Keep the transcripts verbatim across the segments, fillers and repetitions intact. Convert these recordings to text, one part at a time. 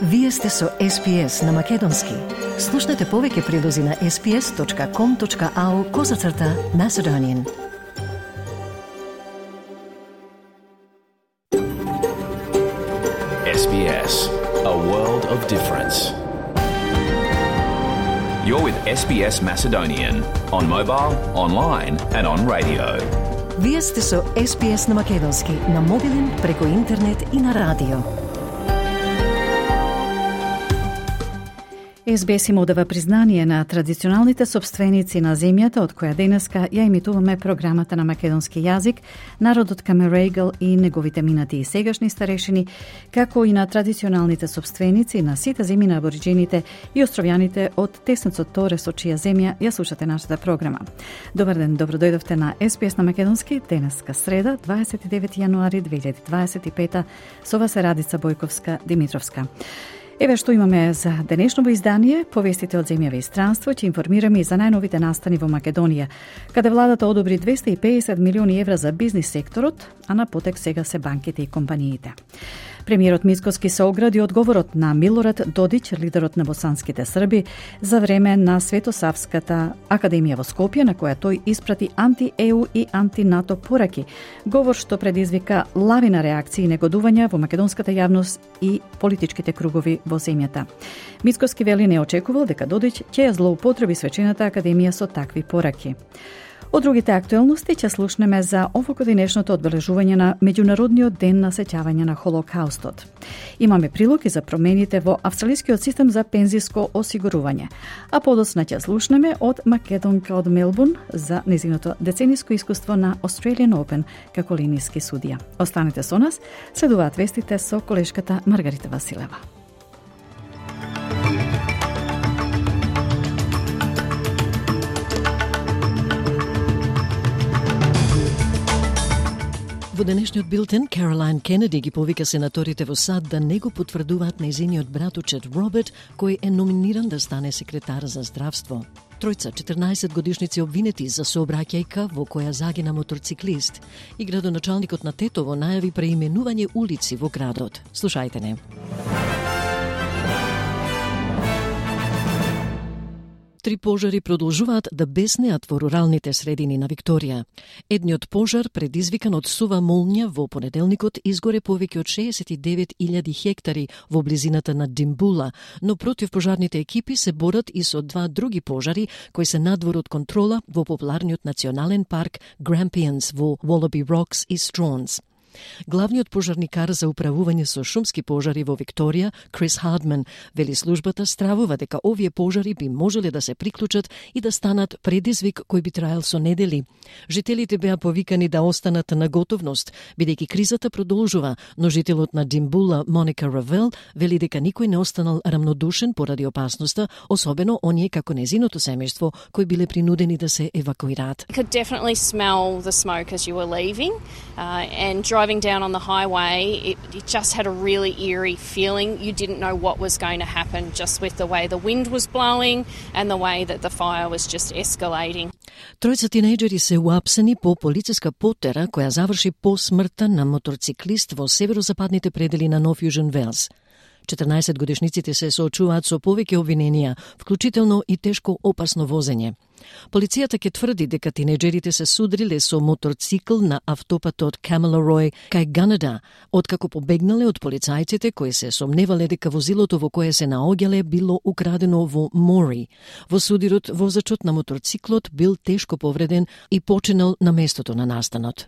Вие сте со Ес Би Ес на Македонски. Слушнете повеќе прилози на ес би ес точка ком точка ау козацрта Macedonian. Ес Би Ес, a world of difference. You're with Ес Би Ес Macedonian on mobile, online and on radio. Вие сте со Ес Би Ес на Македонски, на мобилен, преку интернет и на радио. Ес Би Ес им одава признание на традиционалните собственици на земјата од која денеска ја емитуваме програмата на македонски јазик, народот Камерегл и неговите минати и сегашни старешини, како и на традиционалните собственици на сите земји на абориџените и островјаните од теснецот Торе со чија земја ја слушате нашата програма. Добар ден, добро дојдовте на Ес Би Ес на Македонски, денеска среда, дваесет и девети јануари две илјади дваесет и пета, со вас е Радица Бојковска Димитровска. Еве што имаме за денешното издание, повестите од земјава и странство, ќе информираме и за најновите настани во Македонија, каде владата одобри двесте и педесет милиони евра за бизнис секторот, а на потек сега се банките и компаниите. Премиерот Мицкоски се огради одговорот на Милорад Додиќ, лидерот на босанските срби, за време на Светосавската академија во Скопје, на која тој испрати анти-Е У и анти-НАТО пораки, говор што предизвика лавина реакции и негодувања во македонската јавност и политичките кругови во земјата. Мицкоски вели не очекувал дека Додиќ ќе ја злоупотреби свечената академија со такви пораки. Од другите актуелности ќе слушнеме за овогодинешното одбележување на Меѓународниот ден на сеќавање на Холокаустот. Имаме прилог и за промените во австралискиот систем за пензиско осигурување. А подоцна ќе слушнеме од македонка од Мелбурн за незиното децениско искуство на Australian Open како линиски судија. Останете со нас, следуваат вестите со колешката Маргарита Василева. Во денешниот билтен, Каролайн Кенеди ги повика сенаторите во САД да не го потврдуваат нејзиниот братучет Роберт, кој е номиниран да стане секретар за здравство. Тројца четрнаесет годишници обвинети за сообраќајка во која загина моторциклист и градоначалникот на Тетово најави преименување улици во градот. Слушајте не. Три пожари продолжуваат да беснеат во руралните средини на Викторија. Едниот пожар, предизвикан од сува молња во понеделникот, изгоре повеќе од шеесет и девет илјади хектари во близината на Димбула, но противпожарните екипи се борат и со два други пожари кои се надвор од контрола во популарниот национален парк Grampians во Wallaby Rocks и Straws. Главниот пожарникар за управување со шумски пожари во Викторија, Крис Хардман, вели службата стравува дека овие пожари би можеле да се приклучат и да станат предизвик кој би траел со недели. Жителите беа повикани да останат на готовност, бидејќи кризата продолжува, но жителот на Димбула, Моника Равел, вели дека никој не останал рамнодушен поради опасноста, особено оние како незиното семејство кои биле принудени да се евакуираат. You could definitely smell the smoke as you were leaving, uh, and driving down on the highway, it, it just had a really eerie feeling. You didn't know what was going to happen just with the way the wind was blowing and the way that the fire was just escalating. Тројца тинејџери се уапсени по полициска потера која заврши по смртта на моторциклист во северозападните предели на Нов Јужен Велс. четрнаесет годишниците се соочуваат со повеќе обвиненија, вклучително и тешко опасно возење. Полицијата ќе тврди дека тинејџерите се судриле со моторцикл на автопатот Камелорој кај Ганада, откако побегнале од полицајците кои се сомневале дека возилото во кое се наоѓале било украдено во Мори. Во судирот, возачот на моторциклот бил тешко повреден и починал на местото на настанот.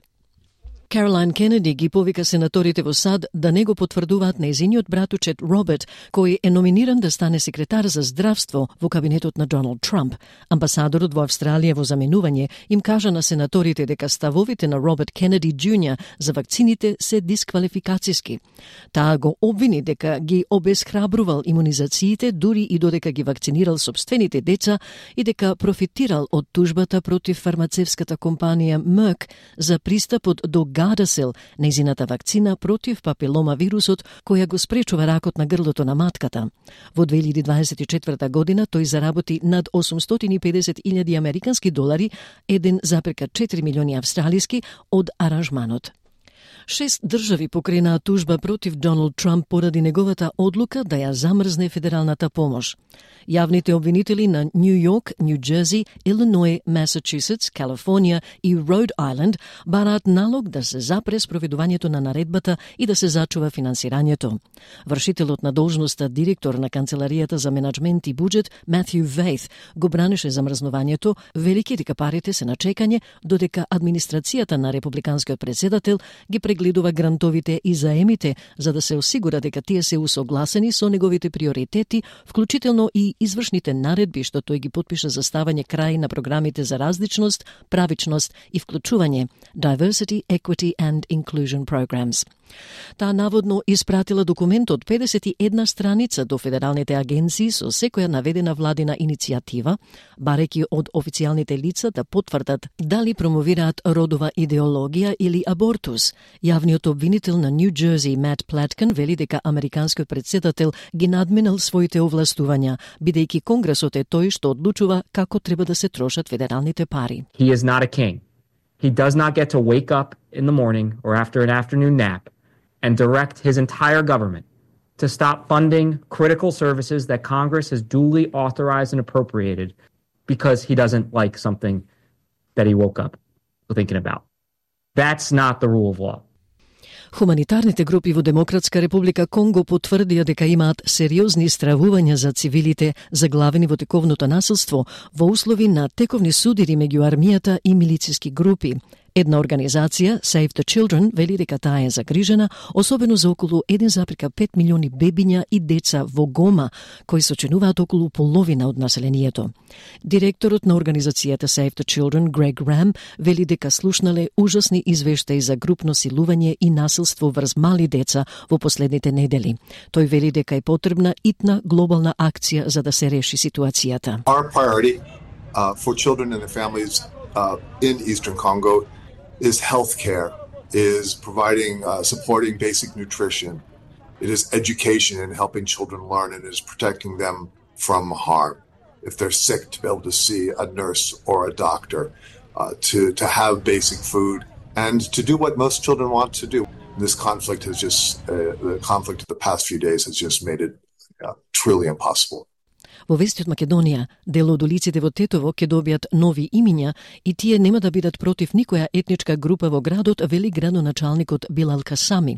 Каролайн Кенеди ги повика сенаторите во САД да не го потврдуваат нејзиниот братучет Роберт, кој е номиниран да стане секретар за здравство во кабинетот на Доналд Трамп. Амбасадорот во Австралија во заменување им кажа на сенаторите дека ставовите на Роберт Кенеди Џуниор за вакцините се дисквалификациски. Таа го обвини дека ги обесхрабрувал имунизациите, дури и додека ги вакцинирал собствените деца и дека профитирал од тужбата против фармацевската компанија Merck за пристапот до Gardasil, нејзината вакцина против папилома вирусот, која го спречува ракот на грлото на матката. Во две илјади дваесет и четврта година тој заработи над осумстотини и педесет илјади американски долари, еден запрека четири милиони австралиски од аранжманот. Шест држави покренаа тужба против Доналд Трамп поради неговата одлука да ја замрзне федералната помош. Јавните обвинители на Нью Йорк, Нью Џерси, Илиној, Масачусетс, Калифорнија и Род Ајленд бараат налог да се запре спроведувањето на наредбата и да се зачува финансирањето. Вршителот на должноста директор на Канцеларијата за менаџмент и буџет, Матју Вејт, го бранеше замрзнувањето, велики дека парите се на чекање, додека администрацијата на републиканскиот претседател ги прегледува грантовите и заемите за да се осигура дека тие се усогласени со неговите приоритети, вклучително и извршните наредби што тој ги потпиша за ставање крај на програмите за различност, правичност и вклучување, Diversity, Equity and Inclusion Programs. Таа наводно испратила документ од педесет и една страница до федералните агенции со секоја наведена владина иницијатива, барејќи од официјалните лица да потврдат дали промовираат родова идеологија или абортус. Јавниот обвинител на Нью Џерси, Мат Платкин, вели дека американскиот претседател ги надминал своите овластувања, бидејќи Конгресот е тој што одлучува како треба да се трошат федералните пари. He is not a king. He does not get to wake up in the morning or after an afternoon nap and direct his entire government to stop funding critical services that Congress has duly authorized and appropriated because he doesn't like something that he woke up thinking about. That's not the rule of law. Хуманитарните групи во Демократска република Конго потврдија дека имаат сериозни стравувања за цивилите заглавени во тековното насилство во услови на тековни судири меѓу армијата и милициски групи. Една организација, Save the Children, вели дека таа е загрижена, особено за околу еден зарез пет милиони бебиња и деца во Гома, кои сочинуваат околу половина од населението. Директорот на организацијата Save the Children, Грег Рам, вели дека слушнале ужасни извештаи за групно силување и насилство врз мали деца во последните недели. Тој вели дека е потребна итна глобална акција за да се реши ситуацијата. Our priority uh, for children and their families uh, in Eastern Congo is healthcare, is providing, uh, supporting basic nutrition. It is education and helping children learn, and it is protecting them from harm. If they're sick, to be able to see a nurse or a doctor, uh, to, to have basic food, and to do what most children want to do. This conflict has just, uh, the conflict of the past few days has just made it uh, truly impossible. Во вести од Македонија, дел од улиците во Тетово ќе добијат нови имиња и тие нема да бидат против никоја етничка група во градот, вели градоначалникот Билал Касами.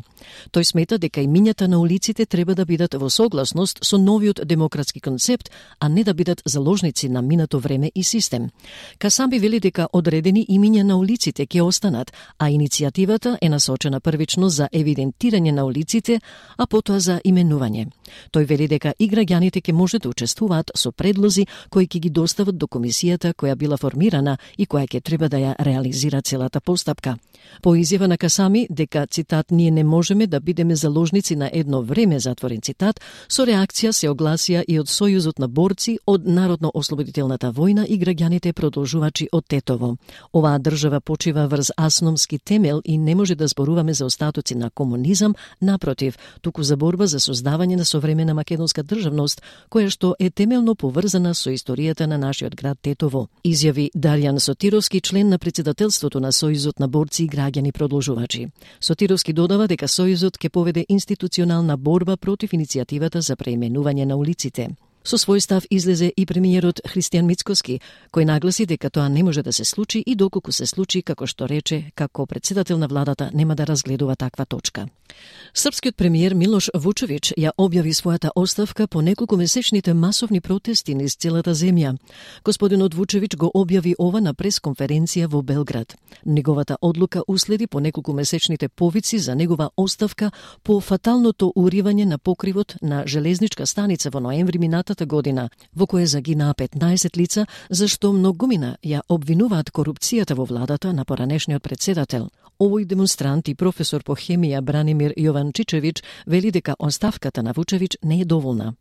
Тој смета дека имињата на улиците треба да бидат во согласност со новиот демократски концепт, а не да бидат заложници на минато време и систем. Касами вели дека одредени имиња на улиците ќе останат, а иницијативата е насочена првично за евидентирање на улиците, а потоа за именување. Тој вели дека и граѓаните ќе може да учествуваат со предлози кои ќе ги достават до комисијата која била формирана и која ќе треба да ја реализира целата постапка. По изјава на Касами дека, цитат, ние не можеме да бидеме заложници на едно време, затворен цитат, со реакција се огласија и од Сојузот на борци од Народно-ослободителната војна и граѓаните продолжувачи од Тетово. Оваа држава почива врз асномски темел и не може да зборуваме за остатоци на комунизам, напротив, туку за борба за создавање на современа македонска државност, која што е темелно поврзана со историјата на нашиот град Тетово, изјави Дарјан Сотировски, член на председателството на Сојузот на борци и граѓани продолжувачи. Сотировски додава дека Сојузот ќе поведе институционална борба против иницијативата за преименување на улиците. Со свој став излезе и премиерот Христијан Мицкоски, кој нагласи дека тоа не може да се случи и доколку се случи, како што рече, како председател на владата нема да разгледува таква точка. Српскиот премиер Милош Вучевич ја објави својата оставка по неколку месечните масовни протести низ целата земја. Господинот Вучевич го објави ова на пресконференција во Белград. Неговата одлука уследи по неколку месечните повици за негова оставка по фаталното уривање на покривот на железничка станица во ноември минатата година, во кое загинаа петнаесет лица, зашто многумина ја обвинуваат корупцијата во владата на поранешниот председател. Овој демонстрант и професор по хемија Бранимир Јованчичевич вели дека оставката на Вучевич не е доволна.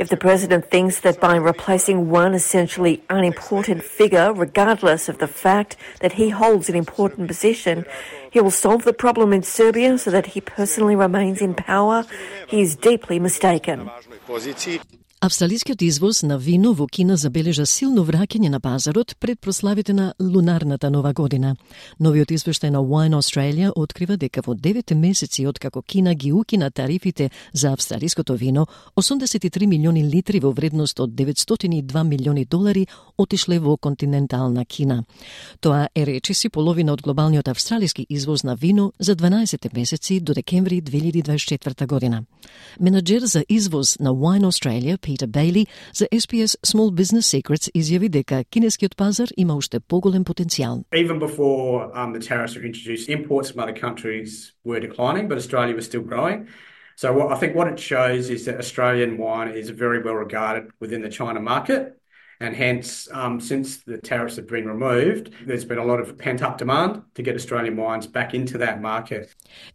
If the president thinks that by replacing one essentially unimportant figure, regardless of the fact that he holds an important position, he will solve the problem in Serbia so that he personally remains in power, he is deeply mistaken. Австралискиот извоз на вино во Кина забележа силно враќање на пазарот пред прославите на лунарната нова година. Новиот извештај на Wine Australia открива дека во деветте месеци откако Кина ги укина тарифите за австралиското вино, осумдесет и три милиони литри во вредност од деветстотини и два милиони долари отишле во континентална Кина. Тоа е речиси половина од глобалниот австралиски извоз на вино за дванаесет месеци до декември две илјади дваесет и четврта година. Менаџер за извоз на Wine Australia, Peter Bailey, за S B S Small Business Secrets изјави дека кинескиот пазар има уште поголем потенцијал. Even before um, the tariffs were introduced, imports from other countries were declining, but Australia was still growing. So what, I think what it shows is that Australian wine is very well regarded within the China market. And hence, um, since the tariffs have been removed, there's been a lot of pent-up demand to get Australian wines back into that market.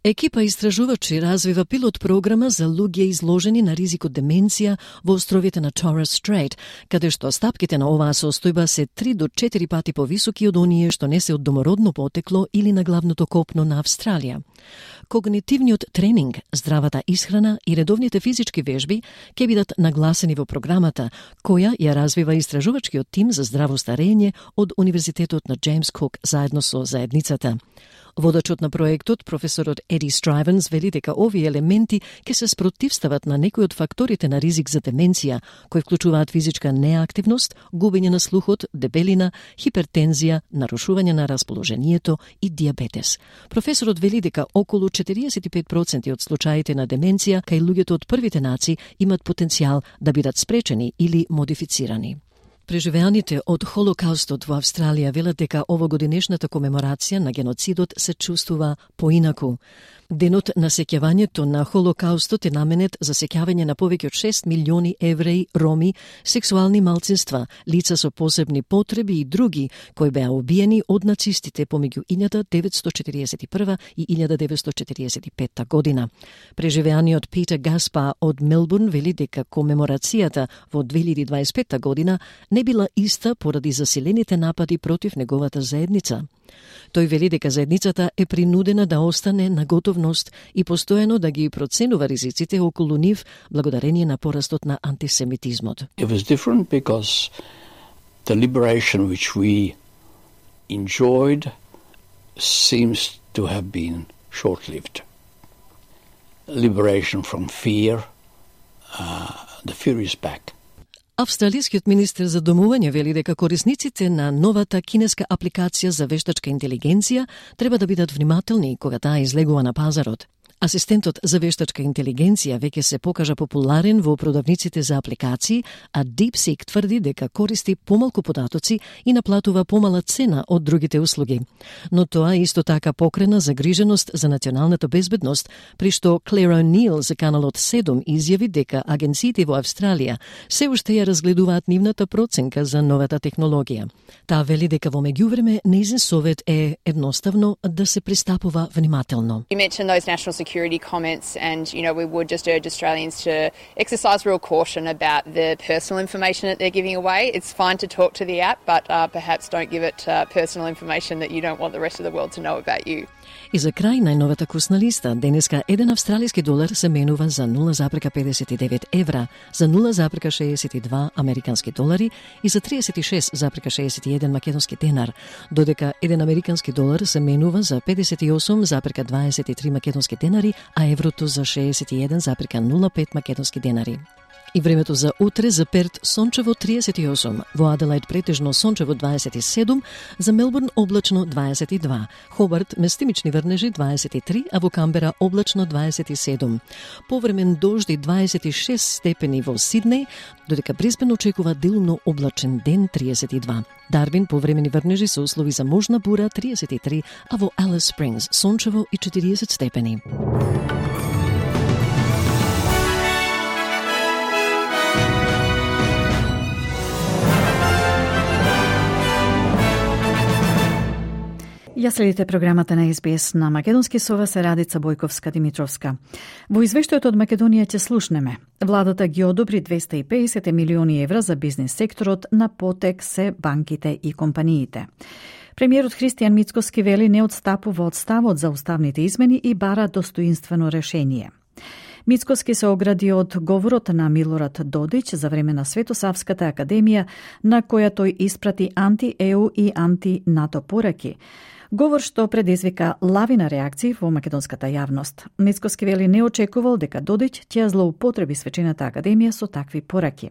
Екипа истражувачи развива пилот програма за луѓе изложени на ризик од деменција во островите на Torres Strait, каде што стапките на оваа состојба се три до четири пати повисоки од оние што не се од домородно потекло или на главното копно на Австралија. Когнитивниот тренинг, здравата исхрана и редовните физички вежби ќе бидат нагласени во програмата, која ја развива истражувачкиот тим за здраво старење од Универзитетот на Джеймс Кук заедно со заедницата. Водачот на проектот, професорот Еди Страјвенс, вели дека овие елементи ќе се спротивстават на некои од факторите на ризик за деменција, кои вклучуваат физичка неактивност, губење на слухот, дебелина, хипертензија, нарушување на расположението и диабетес. Професорот вели дека околу четириесет и пет проценти од случаите на деменција кај луѓето од првите нации имат потенцијал да бидат спречени или модифицирани. Преживеаните од Холокаустот во Австралија велат дека овогодинешната комеморација на геноцидот се чувствува поинаку. Денот на сеќавањето на Холокаустот е наменет за сеќавање на повеќе од шест милиони евреи, роми, сексуални малцинства, лица со посебни потреби и други кои беа убиени од нацистите помеѓу илјада деветстотини четириесет и прва и илјада деветстотини четириесет и петта година. Преживеаниот Питер Гаспар од Мелбурн вели дека комеморацијата во две илјади дваесет и петта година не била иста поради засилените напади против неговата заедница. Тој вели дека заедницата е принудена да остане на готовност и постојано да ги проценува ризиците околу нив благодарение на порастот на антисемитизмот. It was different because the liberation which we enjoyed seems to have been short-lived. Liberation from fear, uh, the fear is back. Австралискиот министер за домување вели дека корисниците на новата кинеска апликација за вештачка интелигенција треба да бидат внимателни кога таа излегува на пазарот. Асистентот за вештачка интелигенција веќе се покажа популарен во продавниците за апликации, а DeepSeek тврди дека користи помалку податоци и наплатува помала цена од другите услуги. Но тоа исто така покрена загриженост за националната безбедност, при што Клер О'Нил за каналот седум изјави дека агенциите во Австралија се уште ја разгледуваат нивната проценка за новата технологија. Таа вели дека во меѓувреме нејзин совет е едноставно да се пристапува внимателно. You mentioned those national security comments, and you know we would just urge Australians to exercise real caution about the personal information that they're giving away. It's fine to talk to the app, but uh, perhaps don't give it uh, personal information that you don't want the rest of the world to know about you. И за крај најновата курсна листа, денеска еден австралиски долар се менува за нула запрека педесет и девет евра, за нула запрека шеесет и два американски долари и за триесет и шест запрека шеесет и еден македонски денар, додека еден американски долар се менува за педесет и осум запрека дваесет и три македонски денари, а еврото за шеесет и еден запрека нула пет македонски денари. И времето за утре за Перт сончево триесет и осум, во Аделајд претежно сончево дваесет и седум, за Мелбурн облачно дваесет и два, Хобарт местимични врнежи дваесет и три, а во Камбера облачно дваесет и седум. Повремен дожди дваесет и шест степени во Сиднеј, додека Брисбен очекува делумно облачен ден триесет и два. Дарвин повремени врнежи со услови за можна бура триесет и три, а во Алис Спрингс сончево и четириесет степени. Ја следите програмата на Ес Би Ес на македонски со вас е Радица Бојковска-Димитровска. Во извештајот од Македонија ќе слушнеме. Владата ги одобри двеста и педесет милиони евра за бизнес секторот, на потек се банките и компаниите. Премиерот Христијан Мицкоски вели не одстапува од ставот за уставните измени и бара достоинствено решение. Мицкоски се огради од говорот на Милорад Додич за време на Светосавската академија, на која тој испрати анти-Е У и анти-НАТО пораки. Говор што предизвика лавина реакции во македонската јавност. Мицкоски вели не очекувал дека Додич ќе злоупотреби свечената академија со такви пораки.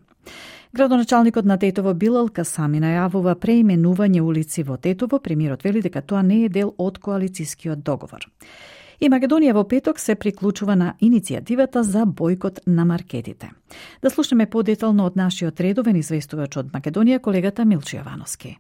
Градоначалникот на Тетово Билал Касами најавува преименување улици во Тетово. Премиерот вели дека тоа не е дел од коалицискиот договор. И Македонија во петок се приклучува на иницијативата за бојкот на маркетите. Да слушнеме подетално од нашиот редовен известувач од Македонија, колегата Милчо Јовановски.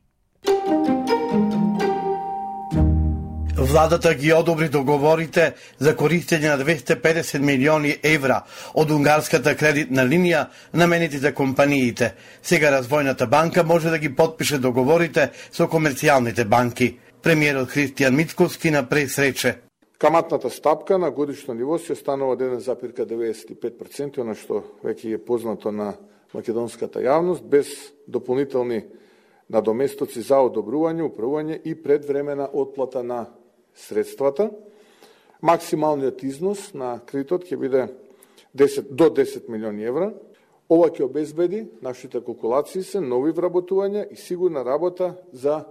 Владата ги одобри договорите за користење на двесте и педесет милиони евра од унгарската кредитна линија наменети за компаниите. Сега Развојната банка може да ги подпише договорите со комерцијалните банки. Премиерот Христијан Мицкоски на прес рече: Каматната стапка на годишно ниво се останува еден зарез деветдесет и пет проценти, она што веќе е познато на македонската јавност, без дополнителни надоместоци за одобрување, управување и предвремена отплата на средствата. Максималниот износ на кредитот ќе биде десет до десет милиони евра. Ова ќе обезбеди, нашите калкулации се, нови вработувања и сигурна работа за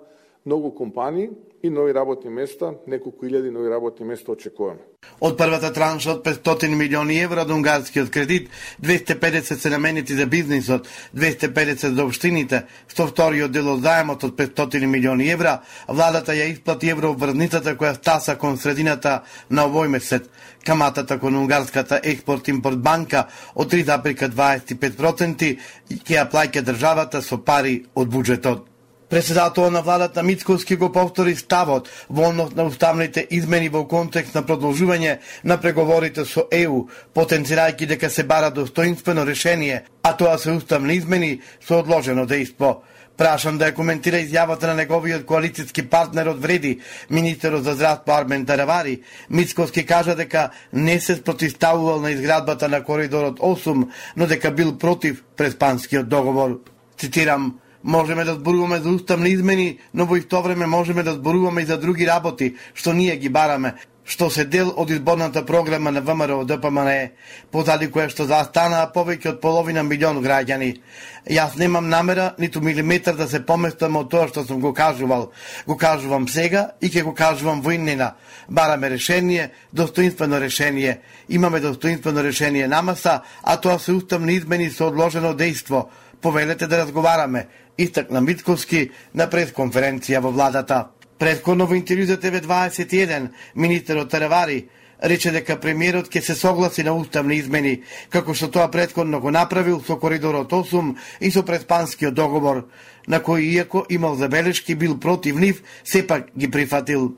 многу компании и нови работни места, неколку илјади нови работни места очекуваме. Од првата транша од петстотини милиони евра од унгарскиот кредит, двесте и педесет се наменети за бизнисот, двесте и педесет за општините, со вториот дел од заемот од петстотини милиони евра, владата ја исплати еврообврзницата која стаса кон средината на овој месец. Каматата кон унгарската експорт-импорт банка од три зарез дваесет и пет проценти ќе ја плаќа државата со пари од буџетот. Председателот на владата Мицкоски го повтори ставот во однос на уставните измени во контекст на продолжување на преговорите со Е У, потенцирајќи дека се бара достоинствено решение, а тоа се уставни измени со одложено дејство. Прашан да ја коментира изјавата на неговиот коалицијски партнер од Вреди, министерот за здравство Армен Таравари, Мицкоски кажа дека не се спротивставувал на изградбата на коридорот осум, но дека бил против преспанскиот договор. Цитирам: Можеме да зборуваме за уставни измени, но во исто време можеме да зборуваме и за други работи, што ние ги бараме, што се дел од изборната програма на Вэ Ем Р О Д П М Н Е, позади кое што застанаа повеќе од половина милион граѓани. Јас немам намера ниту милиметар да се поместам од тоа што сум го кажувал. Го кажувам сега и ќе го кажувам во иднина. Бараме решение, достоинствено решение. Имаме достоинствено решение на маса, а тоа се уставни измени со одложено дејство. Повелете да разговараме, истакна Мицкоски на пресконференција во владата. Претходно во интервју за Т В дваесет и еден, министерот Таравари рече дека премиерот ќе се согласи на уставни измени, како што тоа претходно го направил со коридорот осум и со преспанскиот договор, на кој иако имал забелешки бил против нив, сепак ги прифатил.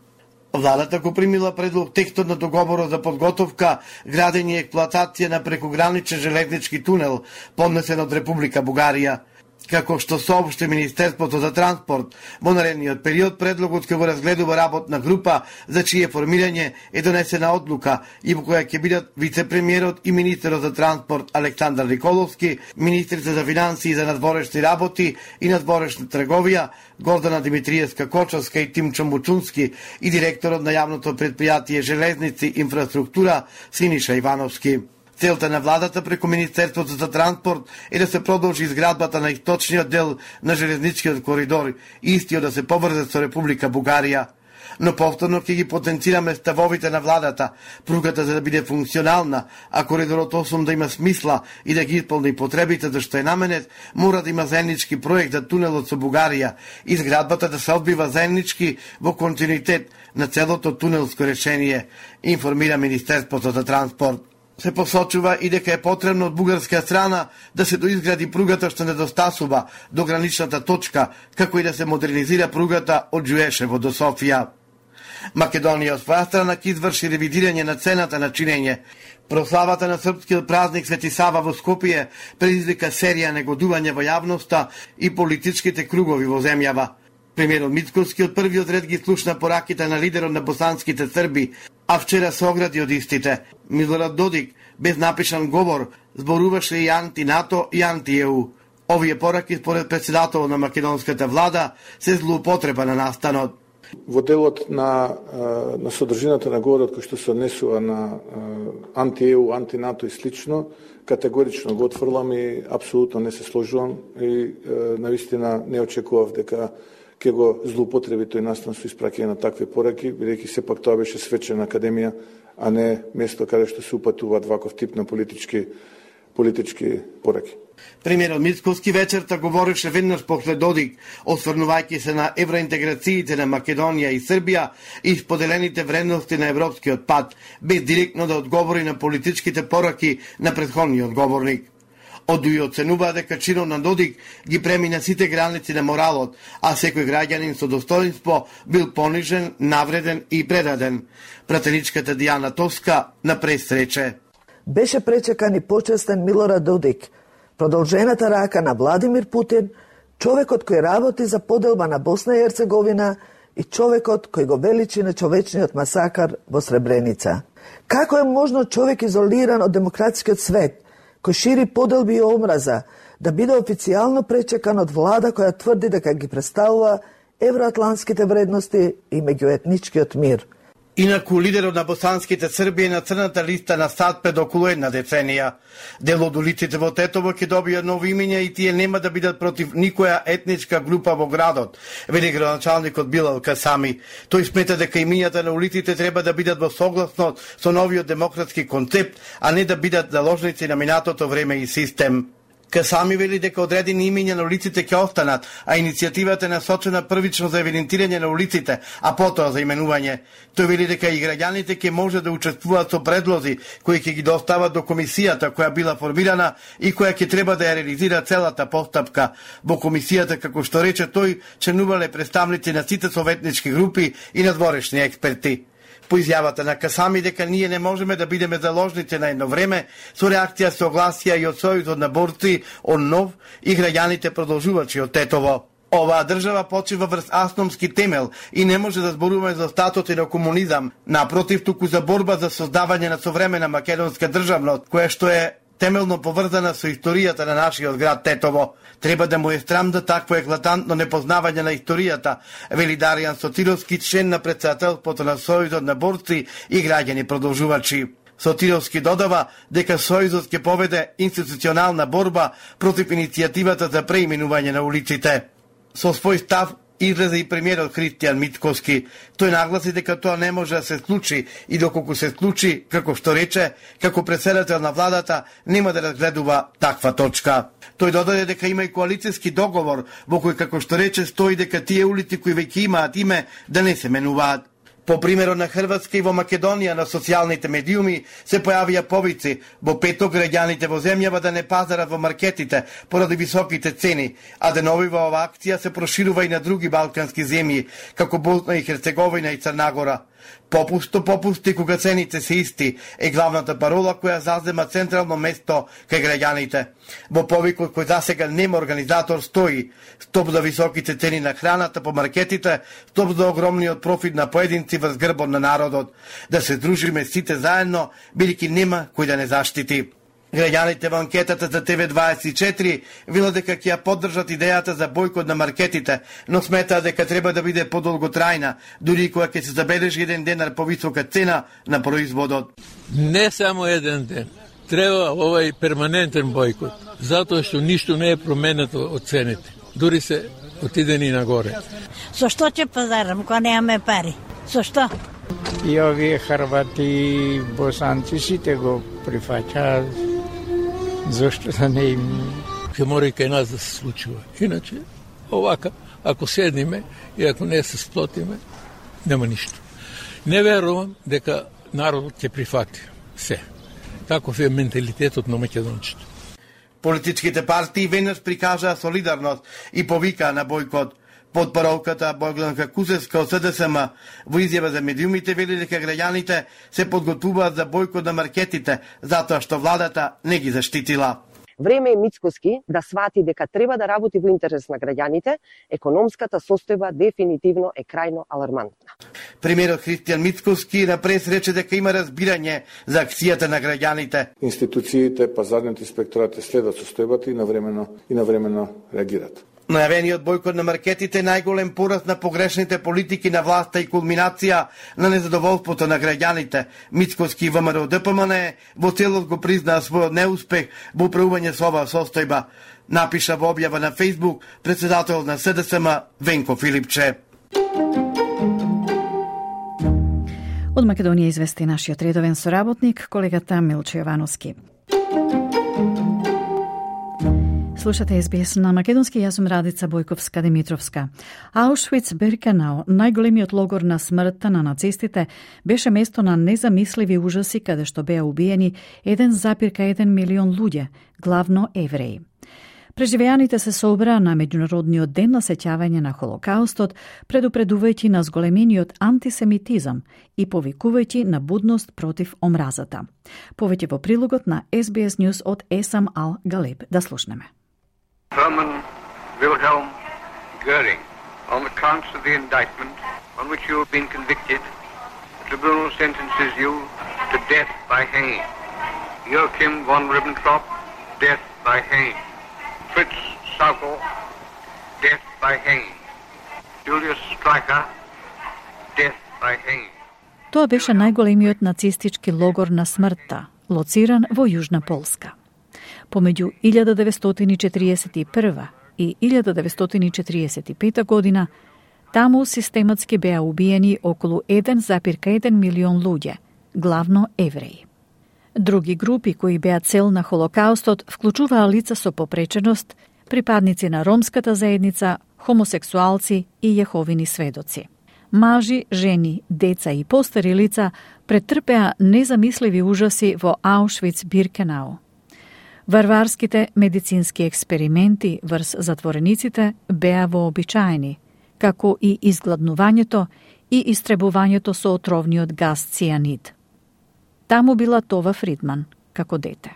Владата го примила предлог текстот на договорот за подготовка, градење и експлоатација на прекограничен железнички тунел, поднесен од Република Бугарија. Како што соопшти Министерството за транспорт, во наредниот период предлогот ќе го разгледува работна група за чие формирање е донесена одлука и во која ќе бидат вице-премиерот и министерот за транспорт Александар Николовски, министрите за финансии и за надворешни работи и надворешна трговија Гордана Димитриевска-Кочовска и Тимчо Мучунски и директорот на јавното предпријатие Железници инфраструктура Синиша Ивановски. Целта на владата преку Министерството за транспорт е да се продолжи изградбата на источниот дел на железничкиот коридор, истиот да се поврзе со Република Бугарија. Но повторно ќе ги потенцираме ставовите на владата, пругата за да биде функционална, а коридорот осум да има смисла и да ги исполни потребите за што е наменет, мора да има заеднички проект за тунелот со Бугарија, изградбата да се одбива заеднички во континуитет на целото тунелско решение, информира Министерството за транспорт. Се посочува и дека е потребно од бугарска страна да се доизгради пругата што недостасува до граничната точка, како и да се модернизира пругата од Ѓуешево до Софија. Македонија од своја страна ќе изврши ревидирање на цената на чинење. Прославата на српскиот празник Свети Сава во Скопје предизвика серија негодување во јавноста и политичките кругови во земјава. Премиерот Мицкоски од првиот ред ги слушна пораките на лидерот на босанските срби, а вчера се огради од истите. Милорад Додик, без напишан говор, зборуваше и анти-НАТО и анти-Е У. Овие пораки, според председателот на македонската влада, се злоупотреба на настанот. Во делот на, на содржината на говорот кој што се однесува на анти-ЕУ, анти-НАТО и слично, категорично го отфрлам и апсолутно не се сложувам и навистина не очекував дека ќе го злоупотреби тој настан со испраќање на такви пораки, бидејќи сепак тоа беше свечена академија, а не место каде што се упатуваат ваков тип на политички политички пораки. Премиерот Мицкоски вечерта говореше веднаш после Додик, осврнувајќи се на евроинтеграциите на Македонија и Србија и споделените вредности на европскиот пат, без директно да одговори на политичките пораки на претходниот говорник. Одуи оценува дека чинот на Додик ги премина сите граници на моралот, а секој граѓанин со достоинство бил понижен, навреден и предаден. Пратеничката Дијана Тоска на пресрече. Беше пречекан и почестен Милорад Додик, продолжената рака на Владимир Путин, човекот кој работи за поделба на Босна и Ерцеговина и човекот кој го величи на човечниот масакар во Сребреница. Како е можно човек изолиран од демократскиот свет, кој шири поделби и омраза, да биде официјално пречекан од влада која тврди дека ги представува евроатлантските вредности и меѓуетничкиот мир? Инаку лидерот на босанските Срби е на црната листа на САД пред околу една деценија. Дел од улиците во Тетово ќе добијат нови имиња и тие нема да бидат против никоја етничка група во градот, вели градоначалникот Билал Касами. Тој смета дека имињата на улиците треба да бидат во согласност со новиот демократски концепт, а не да бидат заложници на минатото време и систем. Касами вели дека одредени имиња на улиците ќе останат, а иницијативата е насочена првично за евидентирање на улиците, а потоа за именување. Тој вели дека и граѓаните ќе може да учествуваат со предлози кои ќе ги достават до комисијата која била формирана и која ќе треба да ја реализира целата постапка. Во комисијата, како што рече тој, членувале представници на сите советнички групи и надворешни експерти. По изјавата на Касами дека ние не можеме да бидеме заложници на едно време, со реакција согласија и од Сојузот на борци он нов и граѓаните продолжувачи од Тетово. Оваа држава почива врз асномски темел и не може да зборуваме за статут на комунизам, напротив, туку за борба за создавање на современа македонска државност, која што е темелно поврзана со историјата на нашиот град Тетово. Треба да му е срам да такво еклатантно непознавање на историјата, вели Даријан Сотировски, член на претседателството на Сојузот на борци и граѓани продолжувачи. Сотировски додава дека Сојузот ќе поведе институционална борба против иницијативата за преименување на улиците. Со свој став излезе и премиерот Христијан Мицкоски. Тој нагласи дека тоа не може да се случи и доколку се случи, како што рече, како претседател на владата нема да разгледува таква точка. Тој додаде дека има и коалицијски договор во кој, како што рече, стои дека тие улици кои веќе имаат име да не се менуваат. По примерот на Хрватска и во Македонија на социјалните медиуми се појавија повици во петок граѓаните во земјава да не пазарат во маркетите поради високите цени, а деновива ова акција се проширува и на други балкански земји, како Босна и Херцеговина и Црна Гора. Попусто попусти кога цените се исти е главната парола која зазема централно место кај граѓаните. Во повикот кој засега нема организатор стои стоп за високите цени на храната по маркетите, стоп за огромниот профит на поединци врз грбот на народот. Да се дружиме сите заедно, бидејќи нема кој да не заштити. Граѓаните во анкетата за Т В дваесет и четири велат дека ќе ја поддржат идејата за бојкот на маркетите, но сметаат дека треба да биде подолготрајна, дури кога ќе се забележи еден денар повисока цена на производот. Не само еден ден. Треба овај перманентен бојкот, затоа што ништо не е променето од цените. Дури се отидени нагоре. Со што ќе пазарам кога немаме пари? Со што? И овие Хрвати, босанци сите го прифаќаат. Зошто да не им... Ке мора и кај нас да се случува. Иначе, овака, ако седниме и ако не се сплотиме, нема ништо. Не верувам дека народот ќе прифати се. Таков е менталитетот на македонците. Политичките партии веднаш прикажаа солидарност и повикаа на бојкот. Под паролката Богданка Кузевска од С Д С М во изјава за медиумите вели дека граѓаните се подготвуваат за бојкот на маркетите, затоа што владата не ги заштитила. Време е Мицкоски да свати дека треба да работи во интерес на граѓаните, економската состојба дефинитивно е крајно алармантна. Премиерот Христијан Мицкоски на прес рече дека има разбирање за акцијата на граѓаните. Институциите, пазарните инспекторати следат состојбата и навремено и навремено реагираат. Најавениот бойкот на маркетите најголем пораст на погрешните политики на власта и кулминација на незадоволството на граѓаните. Мицкоски и ВМРО Д П М Н во целост го признаа својот неуспех во управување со оваа состојба, напиша во објава на Фејсбук председател на С Д С М Венко Филипче. Од Македонија извести нашиот редовен соработник, колегата Милче Јовановски. Слушате Ес Би Ес на македонски, јас сум Радица Бојковска-Димитровска. Аушвиц-Биркенау, најголемиот логор на смртта на нацистите, беше место на незамисливи ужаси каде што беа убиени еден запир еден милион луѓе, главно евреи. Преживеаните се собраа на Меѓународниот ден на сеќавање на Холокаустот, предупредувајќи на зголемениот антисемитизам и повикувајќи на будност против омразата. Повеќе во прилогот на Ес Би Ес News од Есам Ал Галеб. Да слушнеме. Hermann Wilhelm Göring, on the counts of the indictment on which you have been convicted, the tribunal sentences you to death by hanging. Joachim von Ribbentrop, death by hanging. Fritz Saukel, death by hanging. Julius Streicher, death by hanging. Тоа беше најголемиот нацистички логор на смртта, лоциран во Јужна Полска. Помеѓу илјада деветстотини четириесет и прва и илјада деветстотини четириесет и пета година, таму систематски беа убиени околу еден запир еден милион луѓе, главно евреи. Други групи кои беа цел на Холокаустот вклучуваа лица со попреченост, припадници на ромската заедница, хомосексуалци и јеховини сведоци. Мажи, жени, деца и постари лица претрпеа незамисливи ужаси во Аушвиц-Биркенау. Варварските медицински експерименти врз затворениците беа вообичаени, како и изгладнувањето и истребувањето со отровниот газ цианид. Таму била Това Фридман, како дете.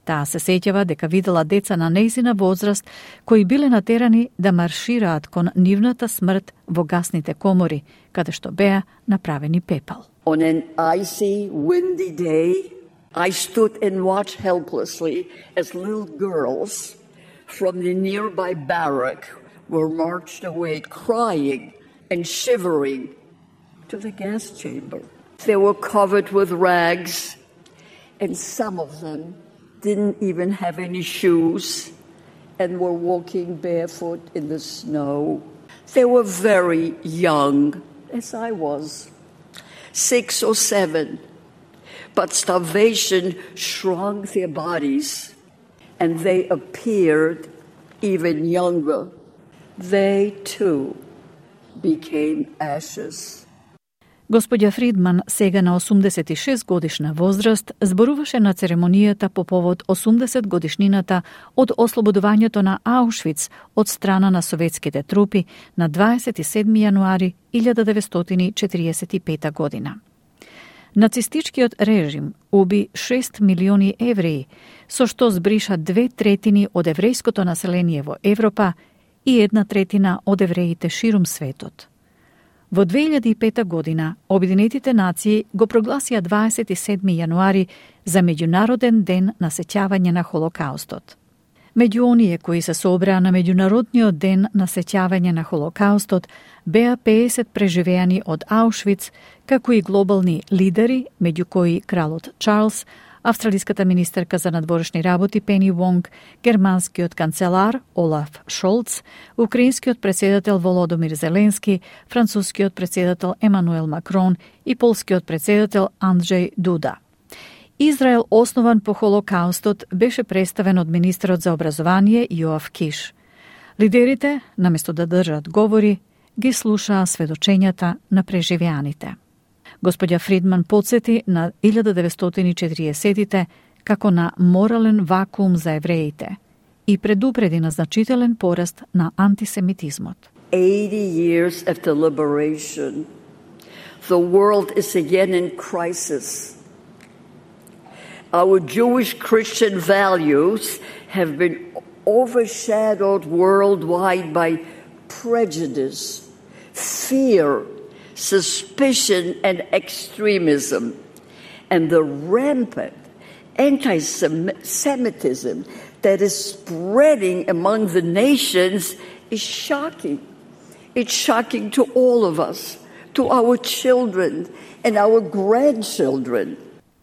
Таа се сеќава дека видела деца на нејзина возраст кои биле натерани да маршираат кон нивната смрт во гасните комори, каде што беа направени пепел. On an icy, windy day, I stood and watched helplessly as little girls from the nearby barrack were marched away crying and shivering to the gas chamber. They were covered with rags, and some of them didn't even have any shoes and were walking barefoot in the snow. They were very young, as I was, six or seven, but starvation shrunk their bodies and they appeared even younger. They too became ashes. Господја Фридман, сега на осумдесет и шест годишна возраст, зборуваше на церемонијата по повод осумдесет годишнината од ослободувањето на Аушвиц од страна на советските трупи на дваесет и седми јануари илјада деветстотини четириесет и пета година. Нацистичкиот режим уби шест милиони евреи, со што збриша две третини од еврејското население во Европа и една третина од евреите ширум светот. Во две илјади и пета година, Обединетите нации го прогласија дваесет и седми јануари за Меѓународен ден на сеќавање на Холокаустот. Меѓу оние кои се собраа на Меѓународниот ден на сеќавање на Холокаустот беа пеесет преживеани од Аушвиц, како и глобални лидери, меѓу кои кралот Чарлс, австралиската министерка за надворешни работи Пени Вонг, германскиот канцелар Олаф Шолц, украинскиот председател Володомир Зеленски, францускиот председател Емануел Макрон и полскиот председател Анджеј Дуда. Израел, основан по Холокаустот, беше представен од министерот за образование Јоав Киш. Лидерите, наместо да држат говори, ги слушаа сведочењата на преживеаните. Господја Фридман подсети на илјада деветстотини четириесетите како на морален вакуум за евреите и предупреди на значителен пораст на антисемитизмот. eighty years after liberation, the world is again in crisis. Our Jewish Christian values have been overshadowed worldwide by prejudice, fear, suspicion and extremism, and the rampant anti-Semitism that is spreading among the nations is shocking. It's shocking to all of us, to our children and our grandchildren.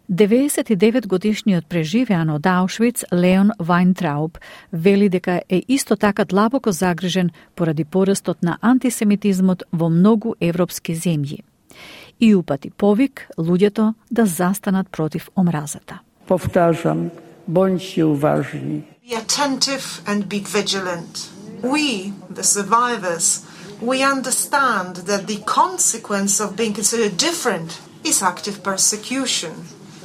деветдесет и девет годишниот преживеан од Аушвиц Леон Вајнтрауб вели дека е исто така длабоко загрижен поради порастот на антисемитизмот во многу европски земји и упати повик луѓето да застанат против омразата. Повтажам, боњте уважни. Be attentive and be vigilant. We, the survivors, we understand that the consequence of being considered different is active persecution,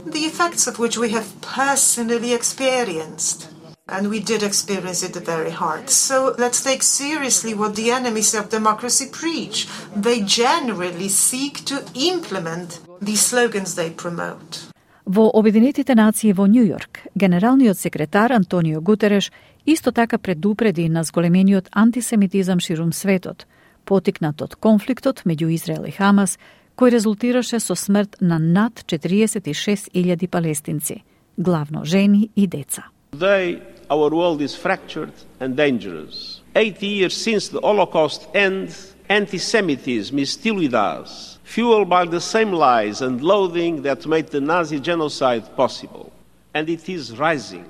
the effects of which we have personally experienced. And we did experience it very hard. So let's take seriously what the enemies of democracy preach. They generally seek to implement the slogans they promote. Во Обединетите нации во Њу Јорк, генералниот секретар Антонио Гутереш исто така предупреди на зголемениот антисемитизам ширум светот, потикнат од конфликтот меѓу Израел и Хамас, кој резултираше со смрт на над четириесет и шест илјади палестинци, главно жени и деца. Today, our world is fractured and dangerous. Eighty years since the Holocaust end, anti-Semitism is still with us, fueled by the same lies and loathing that made the Nazi genocide possible. And it is rising.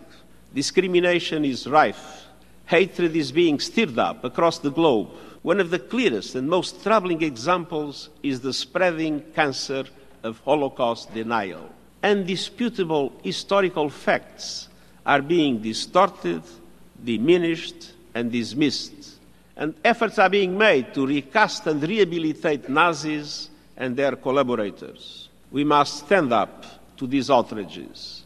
Discrimination is rife. Hatred is being stirred up across the globe. One of the clearest and most troubling examples is the spreading cancer of Holocaust denial. Undisputable historical facts are being distorted, diminished, and dismissed. And efforts are being made to recast and rehabilitate Nazis and their collaborators. We must stand up to these outrages.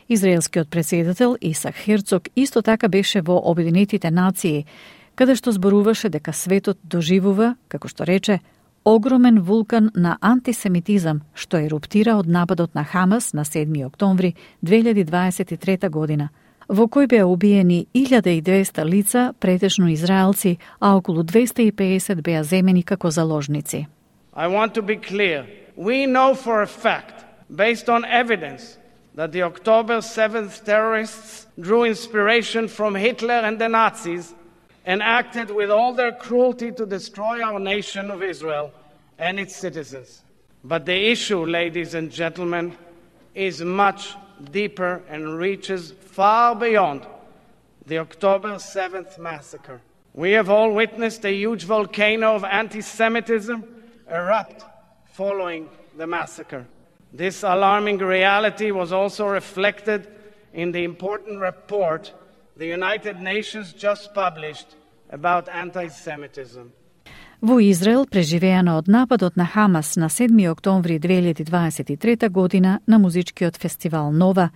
Израелскиот претседател Исак Херцог исто така беше во Обединетите нации, каде што зборуваше дека светот доживува, како што рече, огромен вулкан на антисемитизам што еруптира од нападот на Хамас на седми октомври две илјади дваесет и трета година, во кој беа убиени илјада и двеста лица, претежно израелци, а околу двеста и педесет беа земени како заложници. I want to be clear. We know for a fact, based on evidence, that the October seventh terrorists drew inspiration from Hitler and the Nazis and acted with all their cruelty to destroy our nation of Israel and its citizens. But the issue, ladies and gentlemen, is much deeper and reaches far beyond the October seventh massacre. We have all witnessed a huge volcano of anti-Semitism erupt following the massacre. This alarming reality was also reflected in the important report the United Nations just published about anti-Semitism. Во Израел, преживеано од нападот на Хамас на седми октомври две илјади дваесет и трета година на музичкиот фестивал Нова,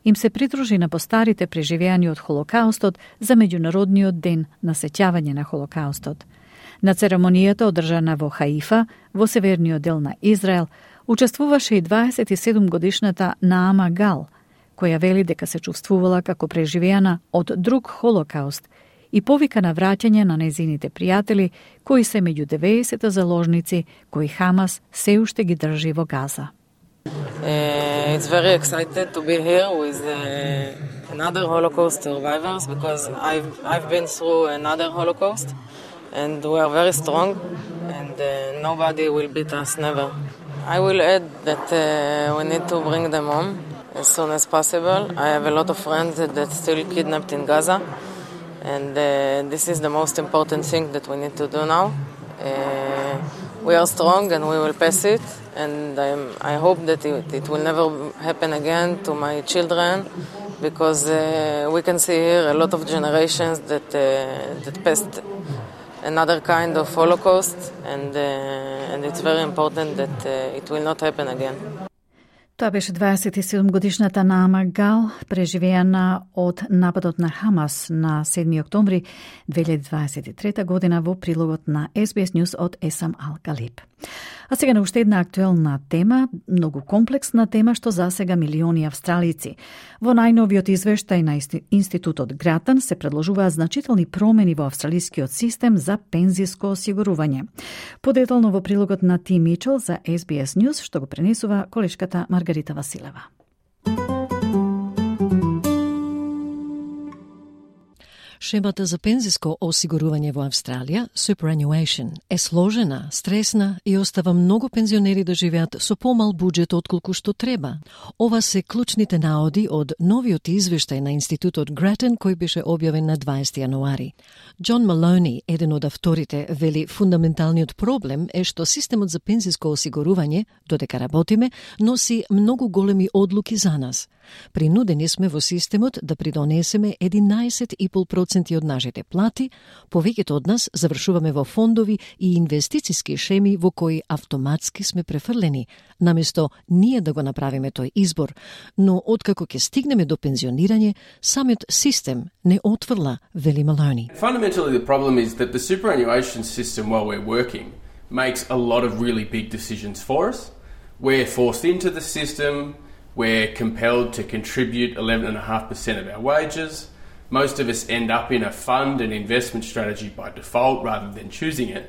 им се придружи на постарите преживеани од Холокаустот за Меѓународниот ден на сеќавање на Холокаустот. На церемонијата одржана во Хаифа, во северниот дел на Израел, учествуваше и дваесет и седум годишната Наама Гал, која вели дека се чувствувала како преживеана од друг Холокауст и повика на враќање на незините пријатели, кои се меѓу деветдесет заложници кои Хамас се уште ги држи во Газа. Uh, it's very excited to be here with uh, another Holocaust survivors because I've I've been through another Holocaust and we are very strong and uh, nobody will beat us, never. I will add that uh, we need to bring them home as soon as possible. I have a lot of friends that, that still kidnapped in Gaza and uh, this is the most important thing that we need to do now. Uh, we are strong and we will pass it and I'm, I hope that it, it will never happen again to my children because uh, we can see here a lot of generations that, uh, that passed another kind of Holocaust and, uh, and it's very important that uh, it will not happen again. Тоа беше дваесет и седум годишната Наама Гал, преживеана од нападот на Хамас на седми октомври две илјади дваесет и трета година во прилогот на Ес Би Ес News од Есам Ал Галиб. А сега на уште една актуелна тема, многу комплексна тема што засега милиони австралици. Во најновиот извештај на Институтот Гратан се предложуваат значителни промени во австралискиот систем за пензиско осигурување. Подетално во прилогот на Ти Мичел за Ес Би Ес News, што го пренесува колешката Маргарита Василева. шемата за пензиско осигурување во Австралија, superannuation, е сложена, стресна и остава многу пензионери да живеат со помал буџет отколку што треба. Ова се клучните наоди од новиот извештај на Институтот Grattan кој беше објавен на дваесети јануари. Џон Малони, еден од авторите, вели фундаменталниот проблем е што системот за пензиско осигурување, додека работиме, носи многу големи одлуки за нас. Принудени сме во системот да придонесеме единаесет и пет проценти од нашите плати, повеќето од нас завршуваме во фондови и инвестициски шеми во кои автоматски сме префрлени, наместо ние да го направиме тој избор, но откако ќе стигнеме до пензионирање, самиот систем не отврла, вели Малони. Fundamentally the problem is that the superannuation system while we're working makes a lot of really big decisions for us. We're forced into the system. We're compelled to contribute eleven point five percent of our wages. Most of us end up in a fund and investment strategy by default rather than choosing it.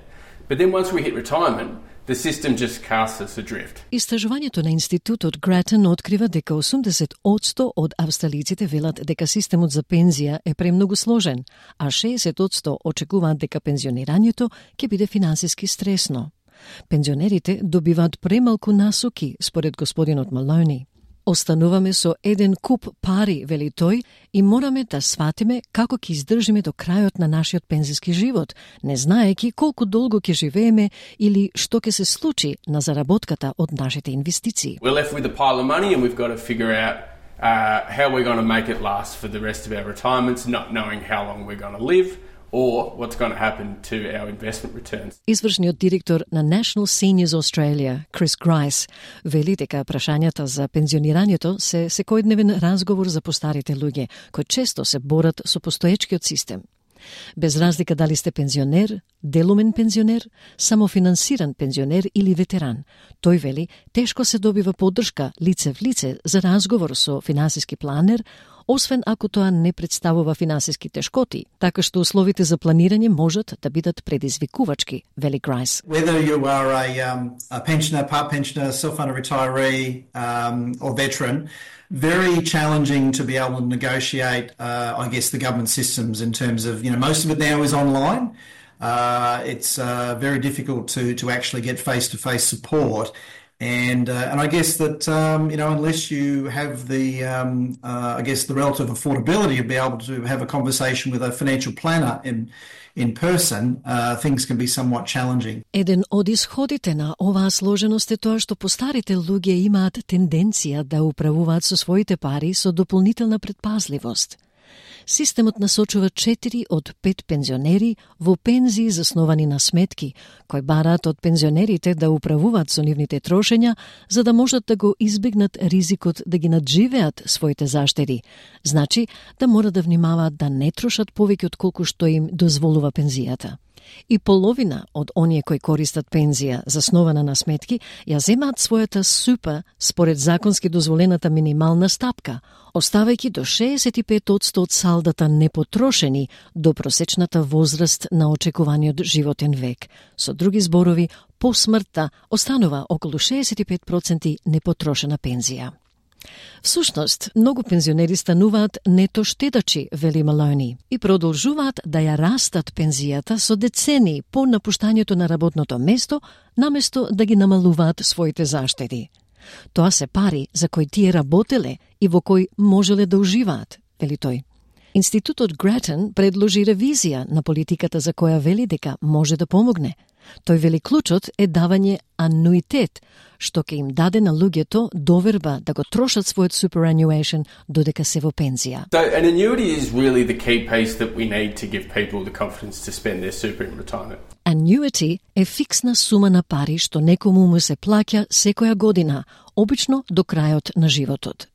But then once we hit retirement, the system just casts us adrift. Истражувањето на Институтот Grattan открива дека осумдесет одсто од австралиците велат дека системот за пензија е премногу сложен, а шеесет одсто очекуваат дека пензионирањето ќе биде финансиски стресно. Пензионерите добиваат премалку насоки, според господинот Малони. Остануваме со еден куп пари, вели тој, и мораме да сватиме како ќе издржиме до крајот на нашиот пензиски живот, не знаеки колку долго ќе живееме или што ќе се случи на заработката од нашите инвестиции. We're left with a pile of money and we've got to figure out uh, how we're going to make it last for the rest of our retirements, not knowing how long we're going to live or what's going to happen to our investment returns. Извршниот директор на National Seniors Australia, Chris Grice, вели дека прашањата за пензионирањето се секојдневен разговор за постарите луѓе, кои често се борат со постоечкиот систем. Без разлика дали сте пензионер, делумен пензионер, самофинансиран пензионер или ветеран, тој вели тешко се добива поддршка лице в лице за разговор со финансиски планер, освен ако тоа не представува финансиски тешкоти, така што условите за планирање можат да бидат предизвикувачки, вели Грайс. Whether you are a, um, a pensioner, part pensioner, self-funded retiree um, or veteran, very challenging to be able to negotiate, uh, I guess, the government systems in terms of, you know, most of it now is online. Uh, it's uh, very difficult to, to actually get face-to-face support. And uh, and I guess that um, you know, unless you have the um, uh, I guess the relative affordability to be able to have a conversation with a financial planner in in person, uh, things can be somewhat challenging. Еден од исходите на оваа сложеност е тоа што постарите луѓе имаат тенденција да управуваат со своите пари со дополнителна предпазливост. Системот насочува четири од пет пензионери во пензии засновани на сметки, кои бараат од пензионерите да управуваат со нивните трошења, за да можат да го избегнат ризикот да ги надживеат своите заштеди. Значи, да мора да внимаваат да не трошат повеќе од колку што им дозволува пензијата. И половина од оние кои користат пензија заснована на сметки ја земаат својата супа според законски дозволената минимална стапка, оставајќи до шеесет и пет одсто од салдата непотрошени до просечната возраст на очекуваниот животен век. Со други зборови, по смртта останува околу шеесет и пет проценти непотрошена пензија. Всушност, многу пензионери стануваат нето штедачи, вели Малони, и продолжуваат да ја растат пензијата со децени по напуштањето на работното место, наместо да ги намалуваат своите заштеди. Тоа се пари за кои тие работеле и во кои можеле да уживаат, вели тој. Институтот Grattan предложи ревизија на политиката за која вели дека може да помогне. Тој вели клучот е давање ануитет, што ќе им даде на луѓето доверба да го трошат својот superannuation додека се во пензија. So an annuity is really the key piece that we need to give people the confidence to spend their super in retirement. Annuity е фиксна сума на пари што некому му се плаќа секоја година, обично до крајот на животот.